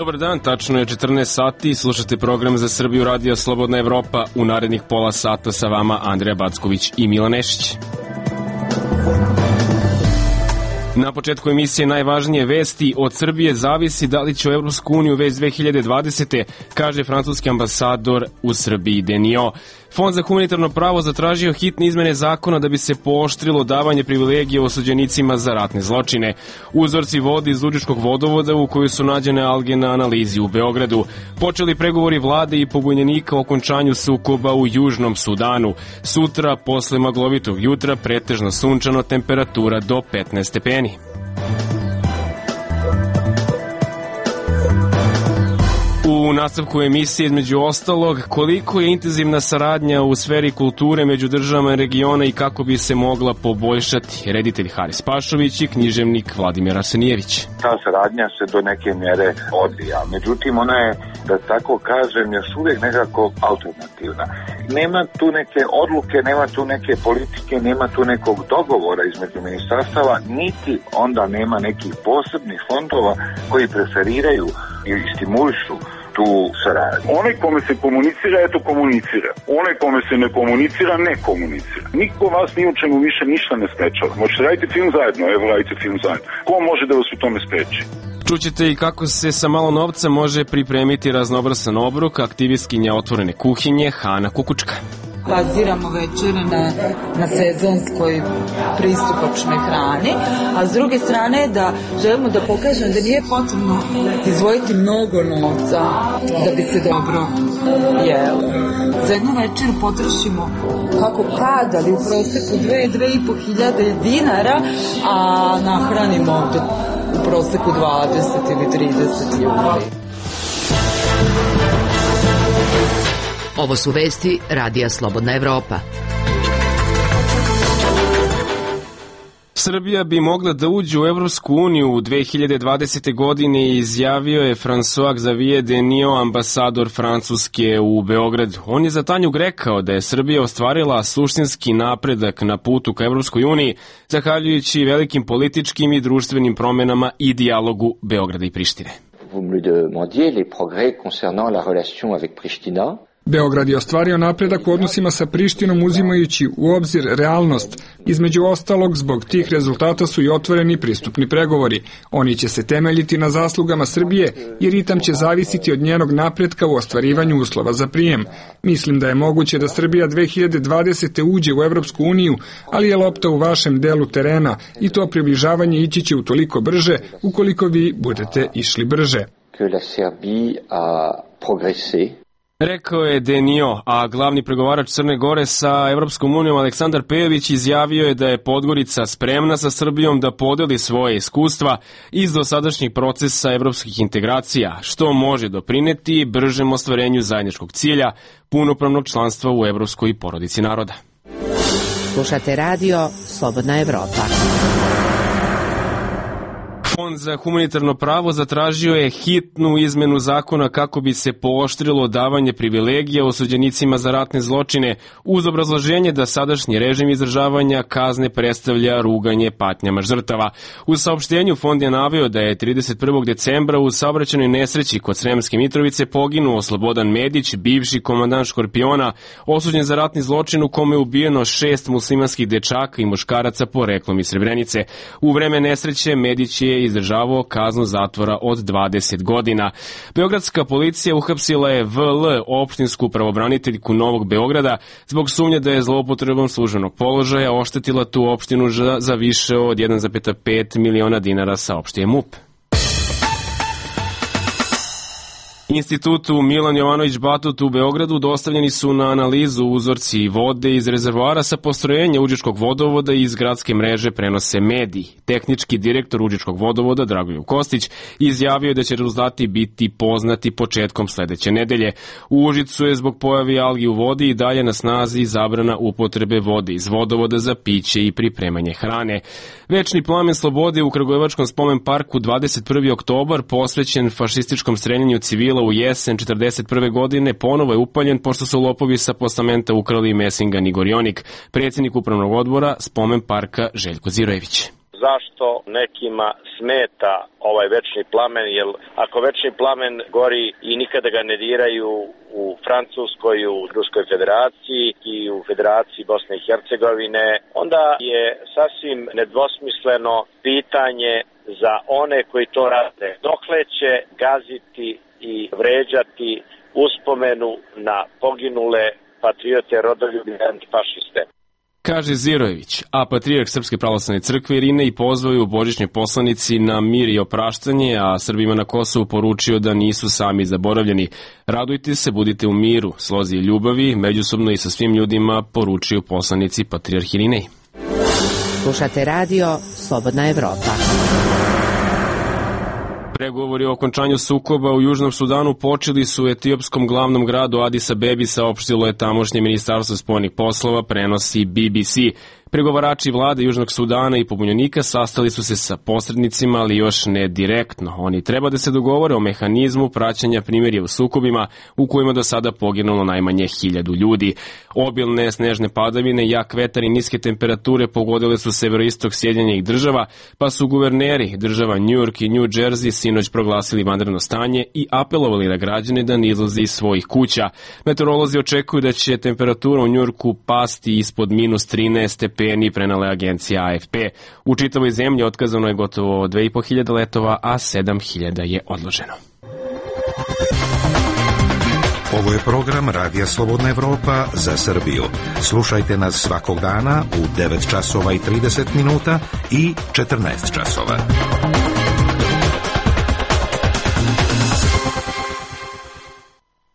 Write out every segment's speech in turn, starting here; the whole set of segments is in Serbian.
Dobar dan, tačno je 14 sati, slušate program za Srbiju Radio Slobodna Evropa. U narednih pola sata sa vama Andreja Backović i Milan Nešić. Na početku emisije najvažnije vesti. Od Srbije zavisi da li će u Evropsku uniju već 2020. kaže francuski ambasador u Srbiji Denio. Fond za humanitarno pravo zatražio hitne izmene zakona da bi se pooštrilo davanje privilegije osuđenicima za ratne zločine. Uzorci vode iz Lužičkog vodovoda u kojoj su nađene alge na analizi u Beogradu. Počeli pregovori vlade i pobunjenika o okončanju sukoba u Južnom Sudanu. Sutra, posle maglovitog jutra, pretežno sunčano, temperatura do 15 stepeni. U nastavku emisije između ostalog koliko je intenzivna saradnja u sferi kulture među državama regiona i kako bi se mogla poboljšati. Reditelj Haris Pašović i književnik Vladimir Arsenijević. Ta saradnja se do neke mjere odvija, međutim ona je, da tako kažem, još uvijek nekako alternativna. Nema tu neke odluke, nema tu neke politike, nema tu nekog dogovora između ministarstava, niti onda nema nekih posebnih fondova koji preferiraju i stimulišu tu saradnju. Onaj kome se komunicira, eto komunicira. Onaj kome se ne komunicira, ne komunicira. Niko vas ni u čemu više ništa ne sprečava. Možete raditi film zajedno, evo radite film zajedno. Ko može da vas u tome spreči? Čućete i kako se sa malo novca može pripremiti raznobrasan obrok aktivistkinja Otvorene kuhinje Hana Kukučka. Baziramo večere na sezonskoj pristupačnoj hrani, a s druge strane da želimo da pokažemo da nije potrebno izdvojiti mnogo novca da bi se dobro jelo. Za jednu večeru potrošimo kako kad, ali u proseku 2.500 dinara, a nahranimo u proseku 20 ili 30 ljudi. Ovo su vesti Radija Slobodna Evropa. Srbija bi mogla da uđe u Evropsku uniju u 2020. godine, izjavio je François Xavier Denio, ambasador Francuske u Beogradu. On je za Tanjug rekao da je Srbija ostvarila suštinski napredak na putu ka Evropskoj uniji, zahvaljujući velikim političkim i društvenim promenama i dijalogu Beograda i Prištine. Vous me demandiez les progrès concernant la relation avec Pristina. Beograd je ostvario napredak u odnosima sa Prištinom uzimajući u obzir realnost. Između ostalog, zbog tih rezultata su i otvoreni pristupni pregovori. Oni će se temeljiti na zaslugama Srbije i ritam će zavisiti od njenog napretka u ostvarivanju uslova za prijem. Mislim da je moguće da Srbija 2020. uđe u Evropsku uniju, ali je lopta u vašem delu terena i to približavanje ići će utoliko brže ukoliko vi budete išli brže. Que la Serbie a progressé. Rekao je Denio, a glavni pregovarač Crne Gore sa Evropskom unijom Aleksandar Pejović izjavio je da je Podgorica spremna sa Srbijom da podeli svoje iskustva iz dosadašnjih procesa evropskih integracija, što može doprineti bržem ostvarenju zajedničkog cilja, punopravnog članstva u evropskoj porodici naroda. Slušate radio Slobodna Evropa. Fond za humanitarno pravo zatražio je hitnu izmenu zakona kako bi se pooštrilo davanje privilegija osuđenicima za ratne zločine uz obrazloženje da sadašnji režim izdržavanja kazne predstavlja ruganje patnjama žrtava. U saopštenju Fond je naveo da je 31. decembra u saobraćajnoj nesreći kod Sremske Mitrovice poginuo Slobodan Medić, bivši komandant Škorpiona, osuđen za ratni zločin u kome je ubijeno 6 muslimanskih dečaka i muškaraca poreklom iz Srebrenice. U vreme nesreće Medić je izdržavao kaznu zatvora od 20 godina. Beogradska policija uhapsila je VL, opštinsku pravobraniteljku Novog Beograda, zbog sumnje da je zloupotrebom službenog položaja oštetila tu opštinu za više od 1,5 miliona dinara, saopštio je MUP. Institutu Milan Jovanović Batut u Beogradu dostavljeni su na analizu uzorci vode iz rezervoara sa postrojenja Užičkog vodovoda i iz gradske mreže prenose mediji. Tehnički direktor Užičkog vodovoda Dragoljub Kostić izjavio je da će rezultati biti poznati početkom sledeće nedelje. U Užicu je zbog pojavi algi u vodi i dalje na snazi zabrana upotrebe vode iz vodovoda za piće i pripremanje hrane. Večni plamen slobode u Kragujevačkom spomen parku 21. oktobar posvećen fašističkom streljanju civila u jesen 1941. godine ponovo je upaljen pošto su lopovi sa postamenta ukrali Mesingan i Gorionik. Predsjednik upravnog odbora spomen parka Željko Zirojević. zašto nekima smeta ovaj večni plamen, jer ako večni plamen gori i nikada ga ne diraju u Francuskoj, u Ruskoj federaciji i u Federaciji Bosne i Hercegovine, onda je sasvim nedvosmisleno pitanje za one koji to rade. Dokle će gaziti i vređati uspomenu na poginule patriote, rodoljubi i antifašiste? Kaže Zirojević, a patrijarh Srpske pravoslavne crkve Irine i pozvao je u božićnoj poslanici na mir i opraštanje, a Srbima na Kosovu poručio da nisu sami zaboravljeni. Radujte se, budite u miru, slozi i ljubavi, međusobno i sa svim ljudima, poručio poslanici patrijarh Irinej. Slušate radio Slobodna Evropa. Pregovori o okončanju sukoba u Južnom Sudanu počeli su u etiopskom glavnom gradu Adis Abebi, saopštilo je tamošnje ministarstvo spoljnih poslova, prenosi BBC. Pregovarači vlade Južnog Sudana i pobunjenika sastali su se sa posrednicima, ali još ne direktno. Oni treba da se dogovore o mehanizmu praćenja primirja u sukobima u kojima do sada poginulo najmanje 1000 ljudi. Obilne snežne padavine, jak vetar i niske temperature pogodile su severoistok Sjedinjenih država, pa su guverneri država New York i New Jersey sinoć proglasili vanredno stanje i apelovali na građane da ne izlaze iz svojih kuća. Meteorolozi očekuju da će temperatura u New Yorku pasti ispod -13 stepeni, prenala je agencija AFP. U čitavoj zemlji otkazano je gotovo 2500 letova, a 7000 je odloženo. Ovo je program Radija Slobodna Evropa za Srbiju. Slušajte nas svakog dana u 9 časova i 30 minuta i 14 časova.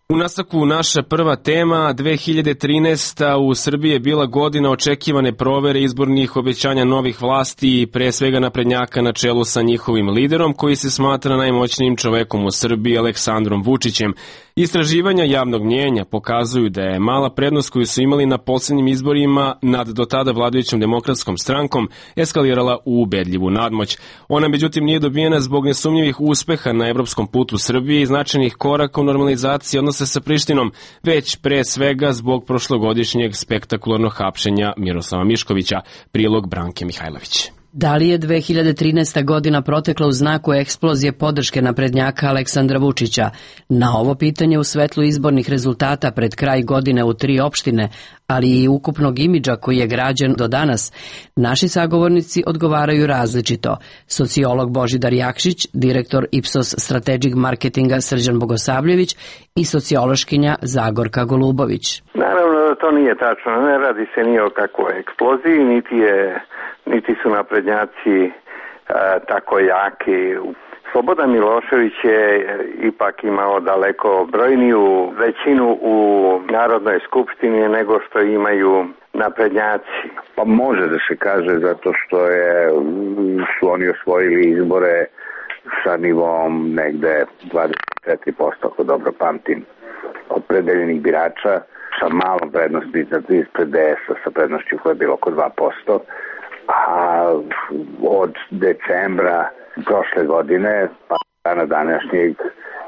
U nastavku naša prva tema, 2013. u Srbiji je bila godina očekivane provere izbornih obećanja novih vlasti i pre svega naprednjaka na čelu sa njihovim liderom koji se smatra najmoćnijim čovekom u Srbiji, Aleksandrom Vučićem. Istraživanja javnog mnjenja pokazuju da je mala prednost koju su imali na posljednjim izborima nad do tada vladajućom demokratskom strankom eskalirala u ubedljivu nadmoć. Ona međutim nije dobijena zbog nesumnjivih uspeha na evropskom putu Srbije i značajnih koraka u normalizaciji odnosa sa Prištinom, već pre svega zbog prošlogodišnjeg spektakularnog hapšenja Miroslava Miškovića, prilog Branke Mihajlović. Da li je 2013. godina protekla u znaku eksplozije podrške naprednjaka Aleksandra Vučića? Na ovo pitanje u svetlu izbornih rezultata pred kraj godine u 3 opštine, ali i ukupnog imidža koji je građen do danas, naši sagovornici odgovaraju različito. Sociolog Božidar Jakšić, direktor Ipsos Strategic Marketinga Srđan Bogosavljević i sociološkinja Zagorka Golubović. Naravno da to nije tačno, ne radi se ni o kakvoj eksploziji, niti su naprednjaci tako jaki. Slobodan Milošević je ipak imao daleko brojniju većinu u Narodnoj skupštini nego što imaju naprednjaci. Pa može da se kaže zato što su oni osvojili izbore sa nivom negde 24%, ako dobro pamtim, opredeljenih birača, sa malom prednosti ispred DS-a, sa prednošću koja je bilo oko 2%. A od decembra prošle godine pa dana današnjeg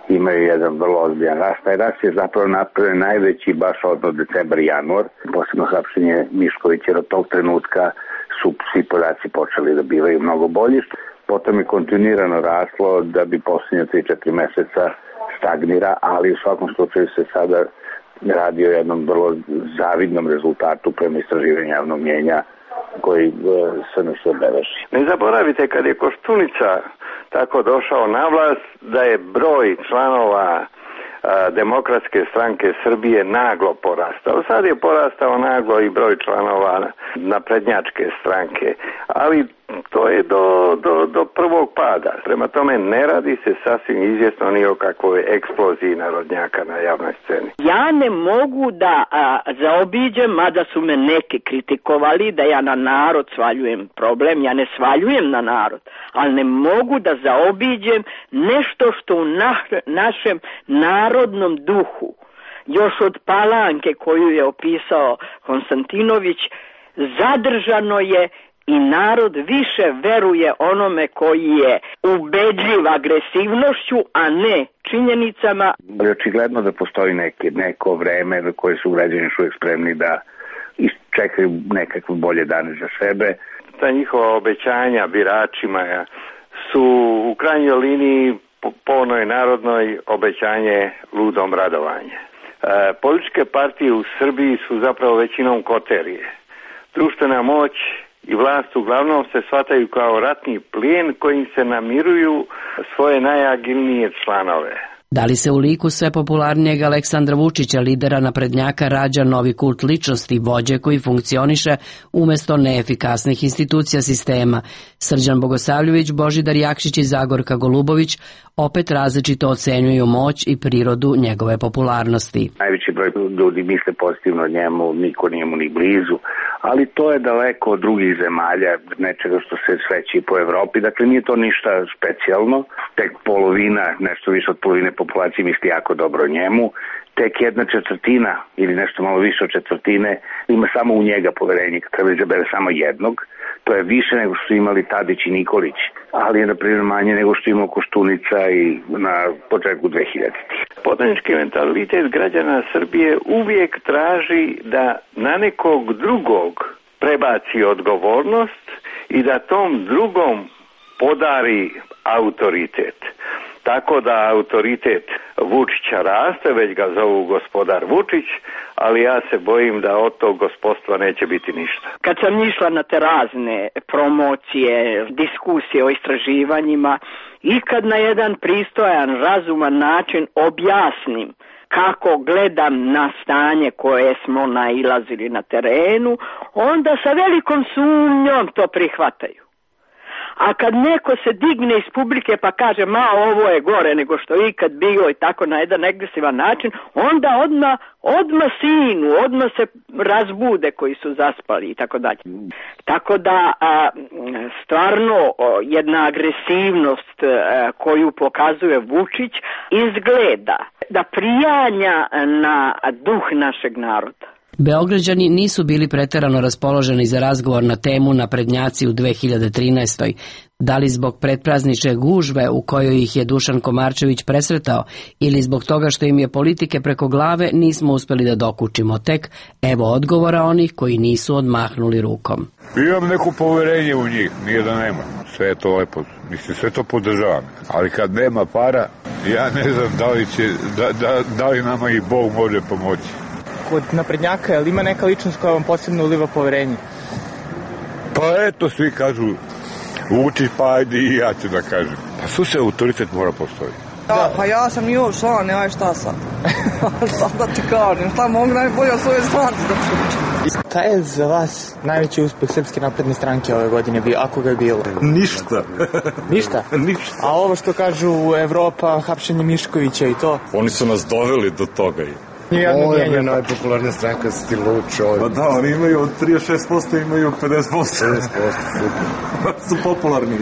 imaju jedan vrlo ozbiljan rast. Taj rast je zapravo napravljen najveći baš od decembra i januar, posebno hapšenje Miškovića, jer od tog trenutka su svi podaci počeli da bivaju mnogo bolji. Potom je kontinuirano raslo da bi posljednje 3-4 meseca stagnira, ali u svakom slučaju se sada radi o jednom vrlo zavidnom rezultatu prema istraživanju javnog mnjenja koji se nas obeleži. Ne zaboravite, kad je Koštunica tako došao na vlast, da je broj članova Demokratske stranke Srbije naglo porastao. Sad je porastao naglo i broj članova naprednjačke stranke, ali to je do prvog pada. Prema tome ne radi se sasvim izvjesno ni o kakvoj eksploziji narodnjaka na javnoj sceni. Ja ne mogu da zaobiđem, mada su me neki kritikovali da ja na narod svaljujem problem. Ja ne svaljujem na narod, ali ne mogu da zaobiđem nešto što u našem narodnom duhu, još od Palanke koju je opisao Konstantinović, zadržano je i narod više veruje onome koji je ubedljiv agresivnošću, a ne činjenicama. Očigledno da postoji neko vreme na koje su građani još uvijek spremni da čekaju nekakve bolje dane za sebe. ta njihova obećanja biračima su u krajnjoj liniji po onoj narodnoj obećanje ludom radovanje. Političke partije u Srbiji su zapravo većinom koterije. Društvena moć i vlast uglavnom se shvataju kao ratni plijen kojim se namiruju svoje najagilnije članove. Da li se u liku sve popularnijeg Aleksandra Vučića, lidera naprednjaka, rađa novi kult ličnosti, vođe koji funkcioniše umesto neefikasnih institucija sistema? Srđan Bogosavljević, Božidar Jakšić i Zagorka Golubović opet različito ocenjuju moć i prirodu njegove popularnosti. Najveći broj ljudi misle pozitivno o njemu, niko nije mu ni blizu, ali to je daleko od drugih zemalja, nečega što se sveći po Evropi, dakle nije to ništa specijalno, tek polovina, nešto više od polovine populacije misli jako dobro o njemu, tek 1/4 ili nešto malo više od četvrtine ima samo u njega poverenje, kad treba izabere samo jednog. To je više nego što su imali Tadić i Nikolić, ali je na primjer manje nego što ima Koštunica i na početku 2000-ih. Podanički mentalitet građana Srbije uvijek traži da na nekog drugog prebaci odgovornost i da tom drugom podari autoritet. Tako da autoritet Vučića raste, već ga zovu gospodar Vučić, ali ja se bojim da od tog gospodstva neće biti ništa. Kad sam išla na te razne promocije, diskusije o istraživanjima i kad na jedan pristojan, razuman način objasnim kako gledam na stanje koje smo nailazili na terenu, onda sa velikom sumnjom to prihvataju. A kad neko se digne iz publike pa kaže ovo je gore nego što je ikad bilo i tako na jedan agresivan način, onda odmah sinu, odmah se razbude koji su zaspali i tako dalje. Tako da stvarno jedna agresivnost koju pokazuje Vučić izgleda da prijanja na duh našeg naroda. Beograđani nisu bili preterano raspoloženi za razgovor na temu naprednjaci u 2013. Da li zbog pretpraznične gužve u kojoj ih je Dušan Komarčević presretao ili zbog toga što im je politike preko glave, nismo uspeli da dokučimo. Tek evo odgovora onih koji nisu odmahnuli rukom. Imam neko poverenje u njih, nije da nema. Sve je to lepo, mislim, sve to podržavam. Ali kad nema para, ja ne znam da li nama i Bog može pomoći. Kod naprednjaka, je li ima neka ličnost koja vam posebno uliva poverenje? Pa eto, svi kažu Vučić, pa ajde i ja ću da kažem. Pa slušaj, autoritet mora postoji. Da, pa ja sam njihov član, nemaj šta sad. Sad da ti kažem, šta mogu najbolje o svojoj stranci da pričam. Šta je za vas najveći uspeh Srpske napredne stranke ove godine bio, ako ga je bilo? Ništa. Ništa? Ništa. A ovo što kažu Evropa, hapšenje Miškovića i to? Oni su nas doveli do toga. Ovo je najpopularnija stranka, si ti lud čovjek. Pa da, oni imaju od 36%, imaju 50%. 50%, super. Su popularni.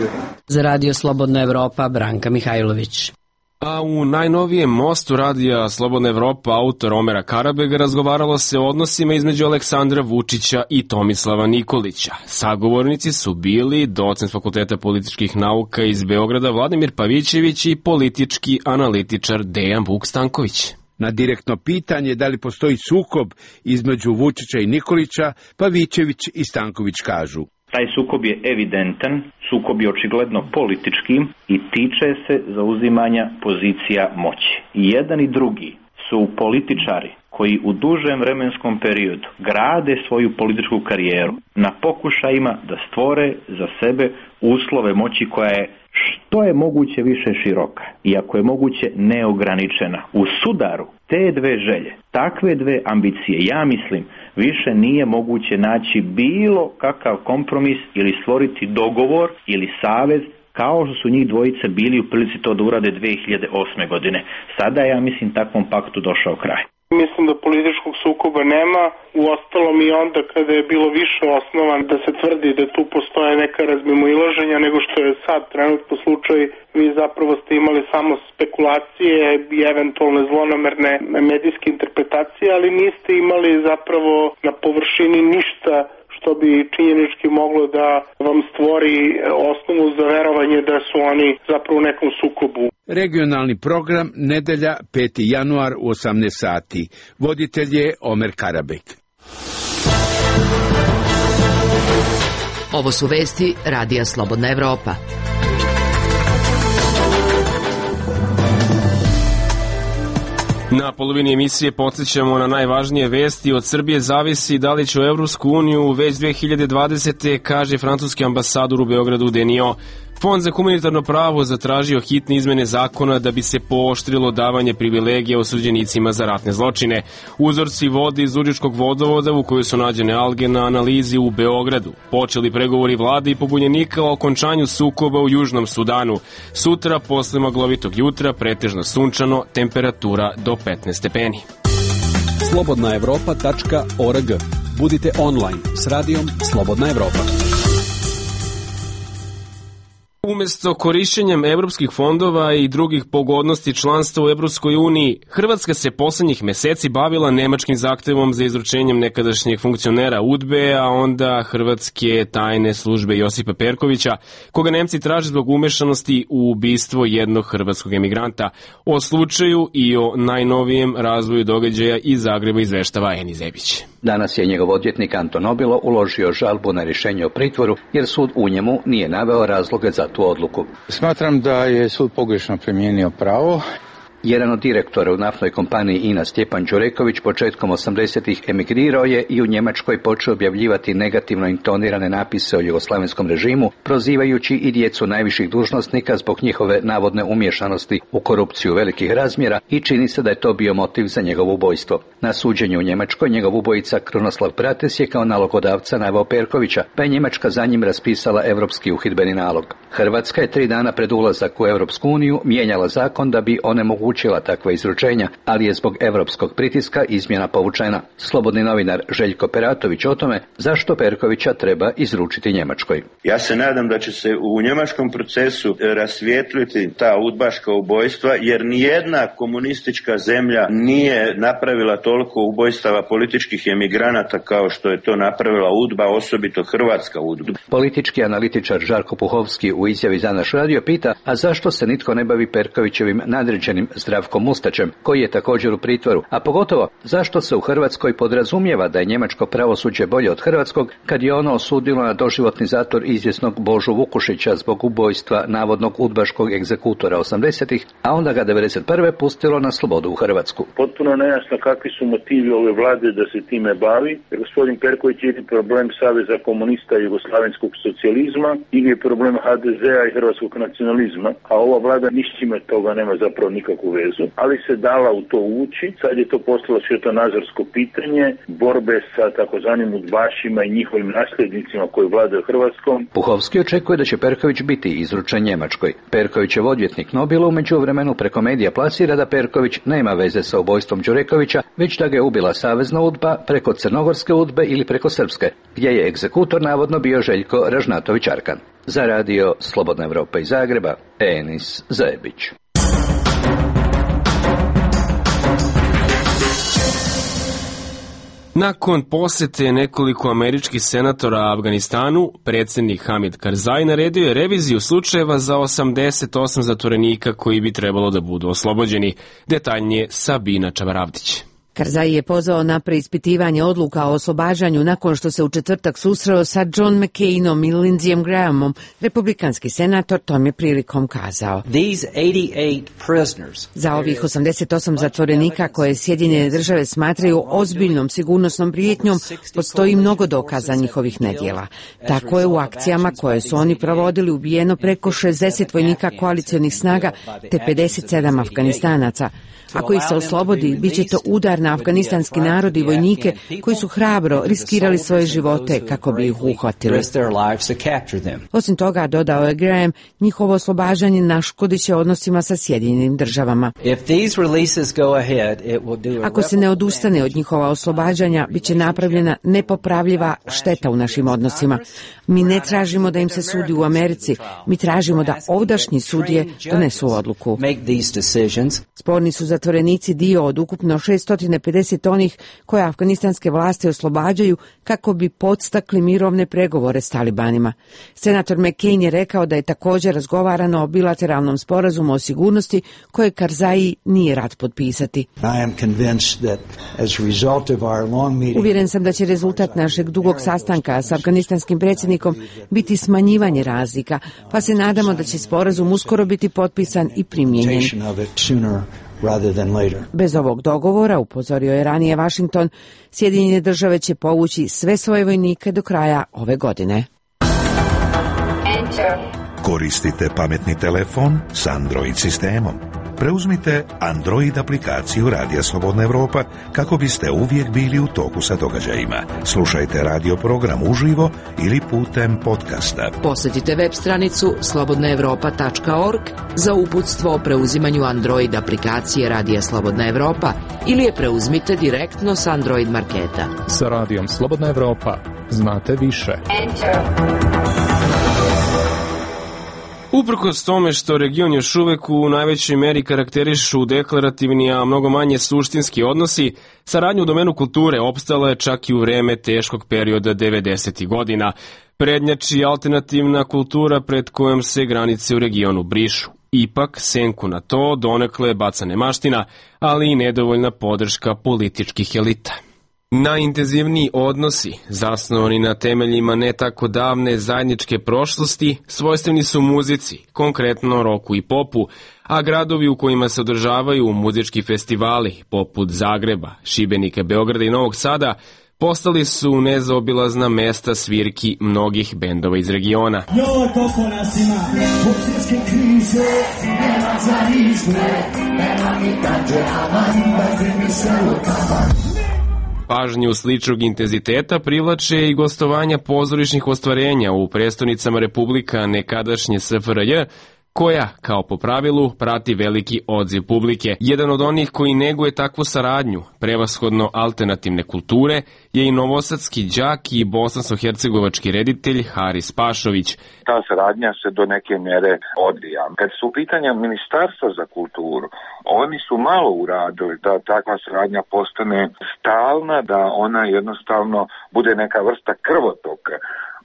Za Radio Slobodna Evropa, Branka Mihajlović. A u najnovijem mostu Radija Slobodna Evropa autor Omera Karabega razgovaralo se o odnosima između Aleksandra Vučića i Tomislava Nikolića. Sagovornici su bili docent Fakulteta političkih nauka iz Beograda Vladimir Pavićević i politički analitičar Dejan Vuk Stanković. Na direktno pitanje da li postoji sukob između Vučića i Nikolića, Pavićević i Stanković kažu: taj sukob je evidentan, sukob je očigledno politički i tiče se zauzimanja pozicija moći. I jedan i drugi su političari koji u dužem vremenskom periodu grade svoju političku karijeru na pokušajima da stvore za sebe uslove moći koja je što je moguće više široka i ako je moguće neograničena. U sudaru te dve želje, takve dve ambicije, ja mislim, više nije moguće naći bilo kakav kompromis ili stvoriti dogovor ili savez kao što su njih dvojice bili u prilici to da urade 2008. godine. Sada je, ja mislim, takvom paktu došao kraj. Mislim da političkog sukoba nema, uostalom i onda kada je bilo više osnovan da se tvrdi da tu postoje neka razmimoilaženja nego što je sad trenutno slučaj, vi zapravo ste imali samo spekulacije i eventualne zlonamerne medijske interpretacije, ali niste imali zapravo na površini ništa što bi činjenički moglo da vam stvori osnovu za verovanje da su oni zapravo u nekom sukobu. Regionalni program, nedelja, 5. januar u 18 sati. Voditelj je Omer Karabek. Ovo su vesti Radija Slobodna Evropa. Na polovini emisije podsjećamo na najvažnije vesti. Od Srbije zavisi da li će u Evropsku uniju već 2020. kaže francuski ambasador u Beogradu Denio. Fond za humanitarno pravo zatražio hitne izmene zakona da bi se pooštrilo davanje privilegija osuđenicima za ratne zločine. Uzorci vode iz Užičkog vodovoda u kojoj su nađene alge na analizi u Beogradu. Počeli pregovori vlade i pobunjenika o okončanju sukoba u Južnom Sudanu. Sutra, posle maglovitog jutra, pretežno sunčano, temperatura do 15 stepeni. slobodnaevropa.org. Budite online s radijom Slobodna Evropa. Umesto korišćenjem evropskih fondova i drugih pogodnosti članstva u Evropskoj uniji, Hrvatska se poslednjih meseci bavila nemačkim zahtevom za izručenjem nekadašnjeg funkcionera UDBE, a onda hrvatske tajne službe Josipa Perkovića, koga Nemci traže zbog umešanosti u ubistvo jednog hrvatskog emigranta. O slučaju i o najnovijem razvoju događaja iz Zagreba izveštava Eni Zebić. Danas je njegov odvjetnik Anton Obilo uložio žalbu na rješenje o pritvoru, jer sud u njemu nije naveo razloge za tu odluku. Smatram da je sud pogrešno primijenio pravo. Jedan od direktora u naftnoj kompaniji INA Stjepan Đureković početkom 80-ih emigrirao je i u Njemačkoj počeo objavljivati negativno intonirane napise o jugoslavenskom režimu, prozivajući i djecu najviših dužnosnika zbog njihove navodne umješanosti u korupciju velikih razmjera i čini se da je to bio motiv za njegovo ubojstvo. Na suđenju u Njemačkoj njegov ubojica Krunoslav Prates je kao nalogodavca naveo Perkovića, pa je Njemačka za njim raspisala evropski uhidbeni nalog. Hrvatska je 3 dana pred ulazak u Europsku uniju mijenjala zakon da bi onemogućila takva izručenja, ali je zbog evropskog pritiska izmjena povučena. Slobodni novinar Željko Peratović o tome zašto Perkovića treba izručiti Njemačkoj. Ja se nadam da će se u njemačkom procesu rasvijetliti ta udbaška ubojstva, jer nijedna komunistička zemlja nije napravila toliko ubojstava političkih emigranata kao što je to napravila UDBA, osobito hrvatska UDBA. Politički analitičar Žarko Puhovski u izjavi za naš radio pita, a zašto se nitko ne bavi Perkovićevim nadređenim Zdravkom Mustačem, koji je također u pritvoru, a pogotovo zašto se u Hrvatskoj podrazumijeva da je njemačko pravosuđe bolje od hrvatskog, kad je ono osudilo na doživotni zatvor izvjesnog Božu Vukušića zbog ubojstva navodnog udbaškog egzekutora 80-ih, a onda ga 91. pustilo na slobodu u Hrvatsku. Potpuno nejasno kakvi su motivi ove vlade da se time bavi, jer gospodin Perković je problem Saveza komunista i jugoslavenskog socijalizma ili je problem HDZ-a i hrvatskog nacionalizma, a ova vlada nišćime toga nema zapravo nikakvu vezu, ali se dala u to ući. Sad je to postalo svjetonazorsko pitanje borbe sa takozvanim udbašima i njihovim nasljednicima koji vladaju Hrvatskom. Puhovski očekuje da će Perković biti izručen Njemačkoj. Perkovićev odvjetnik Nobilo u međuvremenu preko medija plasira da Perković nema veze sa ubojstvom Đurekovića, već da ga je ubila savezna UDBA preko crnogorske UDBE ili preko srpske, gdje je egzekutor navodno bio Željko Ražnatović Arkan. Za radio Slobodna Evropa iz Zagreba, Enis Zajebić. Nakon posete nekoliko američkih senatora Afganistanu, predsjednik Hamid Karzai naredio je reviziju slučajeva za 88 zatvorenika koji bi trebalo da budu oslobođeni. Detaljnije Sabina Čavaravdić. Karzai je pozvao na preispitivanje odluka o oslobađanju nakon što se u četvrtak susreo sa John McCainom i Lindseyem Grahamom. Republikanski senator tom je prilikom kazao: za ovih 88 zatvorenika koje Sjedinjene države smatraju ozbiljnom sigurnosnom prijetnjom, postoji mnogo dokaza njihovih nedjela. Tako je u akcijama koje su oni provodili ubijeno preko 60 vojnika koalicionih snaga te 57 Afganistanaca. Ako ih se oslobodi, bit će to udar na afganistanski narod i vojnike koji su hrabro riskirali svoje živote kako bi ih uhvatili. Osim toga, dodao je Graham, njihovo oslobađanje naškodit će odnosima sa Sjedinjenim državama. Ako se ne odustane od njihova oslobađanja, bit će napravljena nepopravljiva šteta u našim odnosima. Mi ne tražimo da im se sudi u Americi, mi tražimo da ovdašnji sudije donesu odluku. Sporni su zatvorenici dio od ukupno 600 najmanje 50 onih koje afganistanske vlasti oslobađaju kako bi podstakli mirovne pregovore s talibanima. Senator McCain je rekao da je također razgovarano o bilateralnom sporazumu o sigurnosti koje Karzai nije rad potpisati. Uvjeren sam da će rezultat našeg dugog sastanka s afganistanskim predsjednikom biti smanjivanje razlika, pa se nadamo da će sporazum uskoro biti potpisan i primijenjen. Bez ovog dogovora, upozorio je ranije Washington, Sjedinjene države će povući sve svoje vojnike do kraja ove godine. Koristite pametni telefon s Android sistemom. Preuzmite Android aplikaciju Radija Slobodna Evropa kako biste uvijek bili u toku sa događajima. Slušajte radio program uživo ili putem podcasta. Posjetite web stranicu slobodnaevropa.org za uputstvo o preuzimanju Android aplikacije Radija Slobodna Evropa ili je preuzmite direktno s Android marketa. Sa Radijom Slobodna Evropa znate više. Uprkos tome što region još uvek u najvećoj meri karakterišu deklarativni, a mnogo manje suštinski odnosi, saradnja u domenu kulture opstala je čak i u vreme teškog perioda 90. godina. Prednjači alternativna kultura pred kojom se granice u regionu brišu. Ipak, senku na to donekle baca nemaština, ali i nedovoljna podrška političkih elita. Najintenzivniji odnosi, zasnovani na temeljima ne tako davne zajedničke prošlosti, svojstveni su muzici, konkretno roku i popu, a gradovi u kojima se održavaju muzički festivali, poput Zagreba, Šibenika, Beograda i Novog Sada, postali su nezaobilazna mesta svirki mnogih bendova iz regiona. Joj, koliko nas ima, zbog svjetske krize, nema za izgled, nema ni kanđerama, ima se u kavan. Pažnju sličnog intenziteta privlače i gostovanja pozorišnih ostvarenja u prestonicama republika nekadašnje SFRJ, koja, kao po pravilu, prati veliki odziv publike. Jedan od onih koji neguje takvu saradnju, prevashodno alternativne kulture, je i novosadski đak i bosansko-hercegovački reditelj Haris Pašović. Ta saradnja se do neke mjere odvija. Kad su u pitanja Ministarstva za kulturu, oni su malo uradili da takva saradnja postane stalna, da ona jednostavno bude neka vrsta krvotoka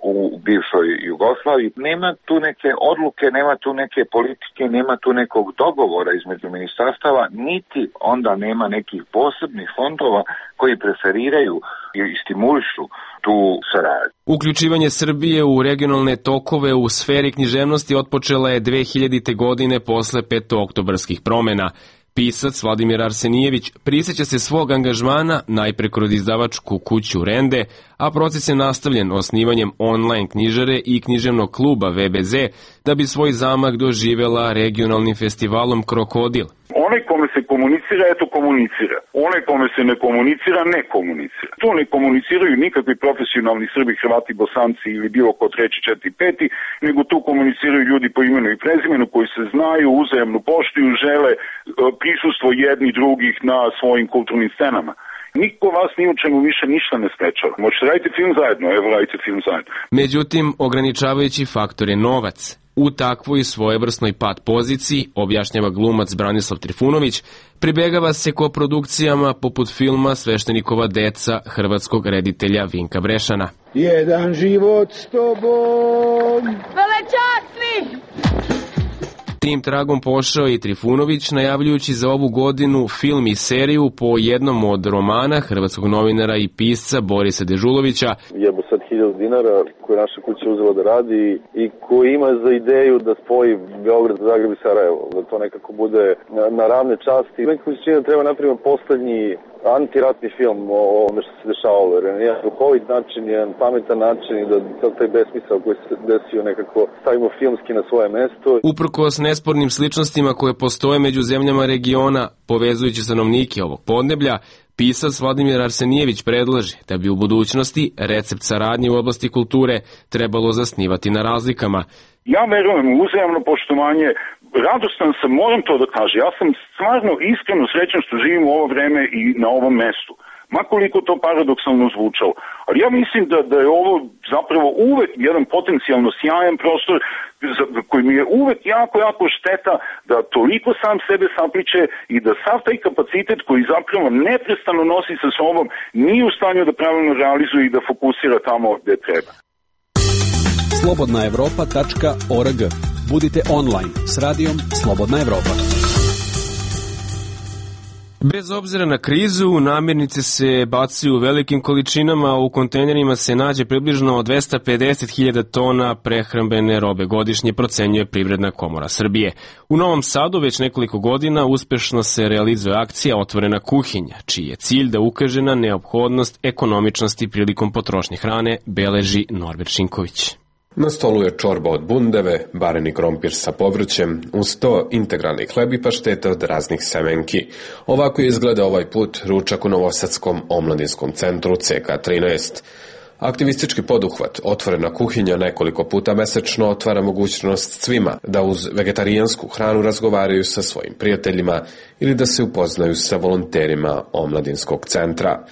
u bivšoj Jugoslaviji. Nema tu neke odluke, nema tu neke politike, nema tu nekog dogovora između ministarstava, niti onda nema nekih posebnih fondova koji preferiraju i stimulišu tu saradnju. Uključivanje Srbije u regionalne tokove u sferi književnosti otpočela je 2000. godine posle petooktobarskih promena. Pisac Vladimir Arsenijević prisjeća se svog angažmana najpre kroz izdavačku kuću Rende, a proces je nastavljen osnivanjem online knjižare i književnog kluba VBZ, da bi svoj zamah doživela regionalnim festivalom Krokodil. Onaj kome se komunicira, eto komunicira. Onaj kome se ne komunicira, ne komunicira. To ne komuniciraju nikakvi profesionalni Srbi, Hrvati, Bosanci ili bilo ko treći, četiri, peti, nego tu komuniciraju ljudi po imenu i prezimenu koji se znaju, uzajamno poštuju, žele prisustvo jedni drugih na svojim kulturnim scenama. Niko vas ni u čemu više ništa ne sprečava. Možete raditi film zajedno, evo radite film zajedno. Međutim, ograničavajući faktor je novac. U takvoj svojevrsnoj pad poziciji, objašnjava glumac Branislav Trifunović, pribegava se koprodukcijama poput filma Sveštenikova deca hrvatskog reditelja Vinka Brešana. Jedan život s tobom, velečasni! Tim tragom pošao i Trifunović, najavljujući za ovu godinu film i seriju po jednom od romana hrvatskog novinara i pisca Borisa Dežulovića. Jebo sad 1000 dinara koje naša kuća uzela da radi i koji ima za ideju da spoji Beograd, Zagreb i Sarajevo, da to nekako bude na ravne časti. Nekako se čini da treba napraviti poslednji antiratni film o ovome što se dešavalo, jer je jedan duhovit način, jedan pametan način i da taj besmisao koji se desio nekako stavimo filmski na svoje mesto. Uprkos nespornim sličnostima koje postoje među zemljama regiona, povezujući stanovnike ovog podneblja, pisac Vladimir Arsenijević predlaže da bi u budućnosti recept saradnje u oblasti kulture trebalo zasnivati na razlikama. Ja verujem u uzajamno poštovanje, radostan sam, moram to da kažem, ja sam stvarno iskreno srećan što živim u ovo vreme i na ovom mestu. makoliko to paradoksalno zvučalo. Ali ja mislim da je ovo zapravo uvek jedan potencijalno sjajan prostor koji mi je uvek jako šteta da toliko sam sebe sapliče i da sav taj kapacitet koji zapravo neprestano nosi sa sobom nije u stanju da pravilno realizuje i da fokusira tamo gde treba. Slobodnaevropa.org. Budite online s radijom Slobodna Evropa. Bez obzira na krizu, namirnice se bacaju u velikim količinama, u kontejnerima se nađe približno 250.000 tona prehrambene robe godišnje, procenjuje Privredna komora Srbije. U Novom Sadu već nekoliko godina uspešno se realizuje akcija Otvorena kuhinja, čiji je cilj da ukaže na neophodnost ekonomičnosti prilikom potrošnje hrane, beleži Norbert Šinković. Na stolu je čorba od bundeve, bareni krompir sa povrćem, uz to integralni hleb i paštete od raznih semenki. Ovako izgleda ovaj put ručak u Novosadskom omladinskom centru CK13. Aktivistički poduhvat Otvorena kuhinja nekoliko puta mesečno otvara mogućnost svima da uz vegetarijansku hranu razgovaraju sa svojim prijateljima ili da se upoznaju sa volonterima omladinskog centra.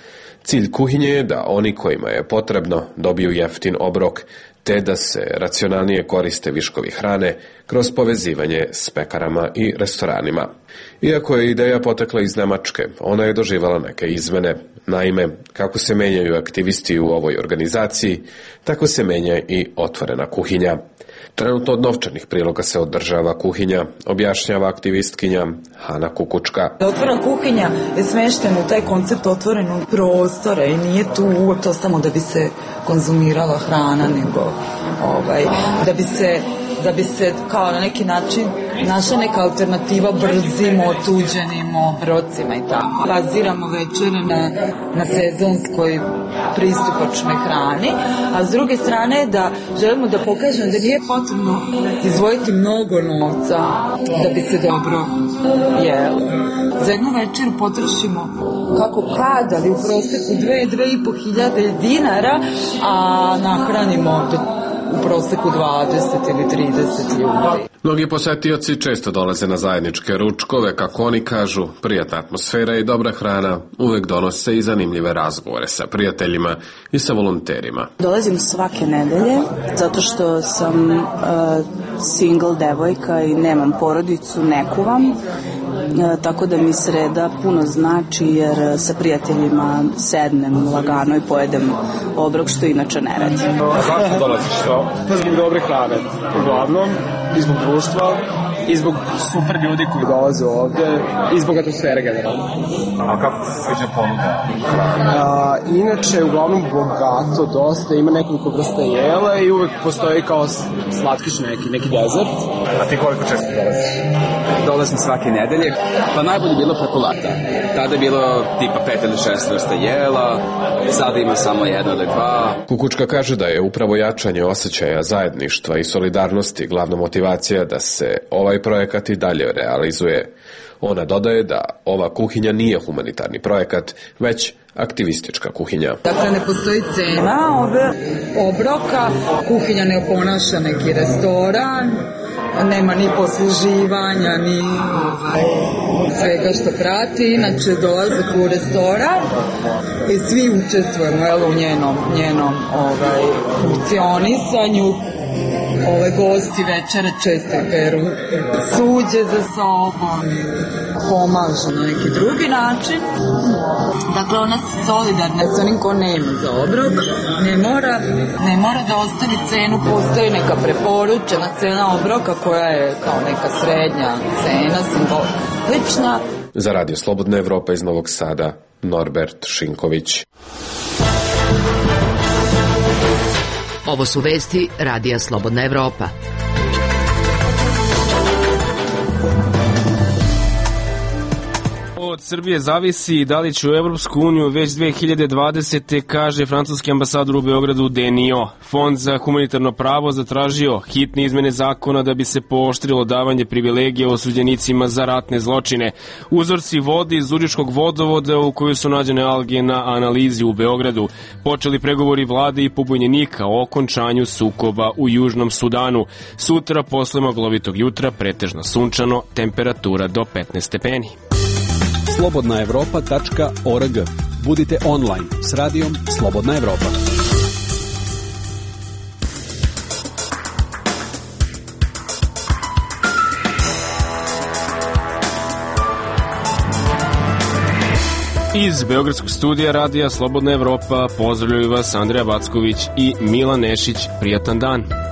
Cilj kuhinje je da oni kojima je potrebno dobiju jeftin obrok, te da se racionalnije koriste viškovi hrane kroz povezivanje s pekarama i restoranima. Iako je ideja potekla iz Nemačke, ona je doživala neke izmene. Naime, kako se menjaju aktivisti u ovoj organizaciji, tako se menja i Otvorena kuhinja. Trenutno od novčanih priloga se održava kuhinja, objašnjava aktivistkinja Hana Kukučka. Otvorena kuhinja je smeštena u taj koncept otvorenog prostora i nije tu uvek to samo da bi se konzumirala hrana, nego da bi se kao na neki način našla neka alternativa brzim, otuđenim obrocima i tako. Baziramo večere na sezonskoj pristupačnoj hrani, a s druge strane da želimo da pokažemo da nije potrebno izdvojiti mnogo novca da bi se dobro jelo. Za jednu večeru potrošimo kako kad, ali u proseku 2.500 dinara, a nahranimo u proseku 20 ili 30 ljudi. Mnogi posetioci često dolaze na zajedničke ručkove, kako oni kažu, prijatna atmosfera i dobra hrana uvek donose i zanimljive razgovore sa prijateljima i sa volonterima. Dolazim svake nedelje zato što sam single devojka i nemam porodicu, ne kuvam. Tako da mi sreda puno znači jer sa prijateljima sednem lagano i pojedem obrok, što inače ne radim. Zašto dolaziš to? Zbog dobre hrane, uglavnom, i zbog društva, i zbog super ljudi koji dolaze ovde, i zbog atmosfere generalno. A kako ti se sviđa ponuda? Inače, uglavnom bogato, dosta, ima nekoliko vrsta jela i uvek postoji kao slatkiš neki dezert. A ti koliko često dolaziš? Dolazim svake nedelje, pa najbolje bilo preko lata. Tada je bilo tipa 5 ili 6 vrsta jela, sada ima samo 1 ili 2. Kukučka kaže da je upravo jačanje osjećaja zajedništva i solidarnosti glavna motivacija da se ovaj projekat i dalje realizuje. Ona dodaje da ova kuhinja nije humanitarni projekat, već aktivistička kuhinja. Dakle, ne postoji cena obroka, kuhinja ne oponaša neki restoran, nema ni posluživanja, ni svega što prati. Inače, dolazak u restoran i svi učestvujemo u njenom funkcionisanju. Gosti večere često peru suđe za sobom, pomažu na neki drugi način. Dakle, ona je solidarna s onim ko nema za obrok, ne mora da ostavi cenu, postoji neka preporučena cena obroka koja je kao neka srednja cena, simbolična. Za Radio Slobodna Evropa iz Novog Sada, Norbert Šinković. Ovo su vesti Radija Slobodna Evropa. Od Srbije zavisi da li će u Evropsku uniju već 2020. kaže francuski ambasador u Beogradu Denio. Fond za humanitarno pravo zatražio hitne izmene zakona da bi se pooštrilo davanje privilegija osuđenicima za ratne zločine. Uzorci vode iz Zuriškog vodovoda u kojoj su nađene alge na analizi u Beogradu. Počeli pregovori vlade i pobunjenika o okončanju sukoba u Južnom Sudanu. Sutra posle maglovitog jutra pretežno sunčano, temperatura do 15 stepeni. Slobodnaevropa.org. Budite online s radijom Slobodna Evropa. Iz Beogradskog studija radija Slobodna Evropa pozdravljaju vas Andreja Backović i Milan Nešić. Prijatan dan.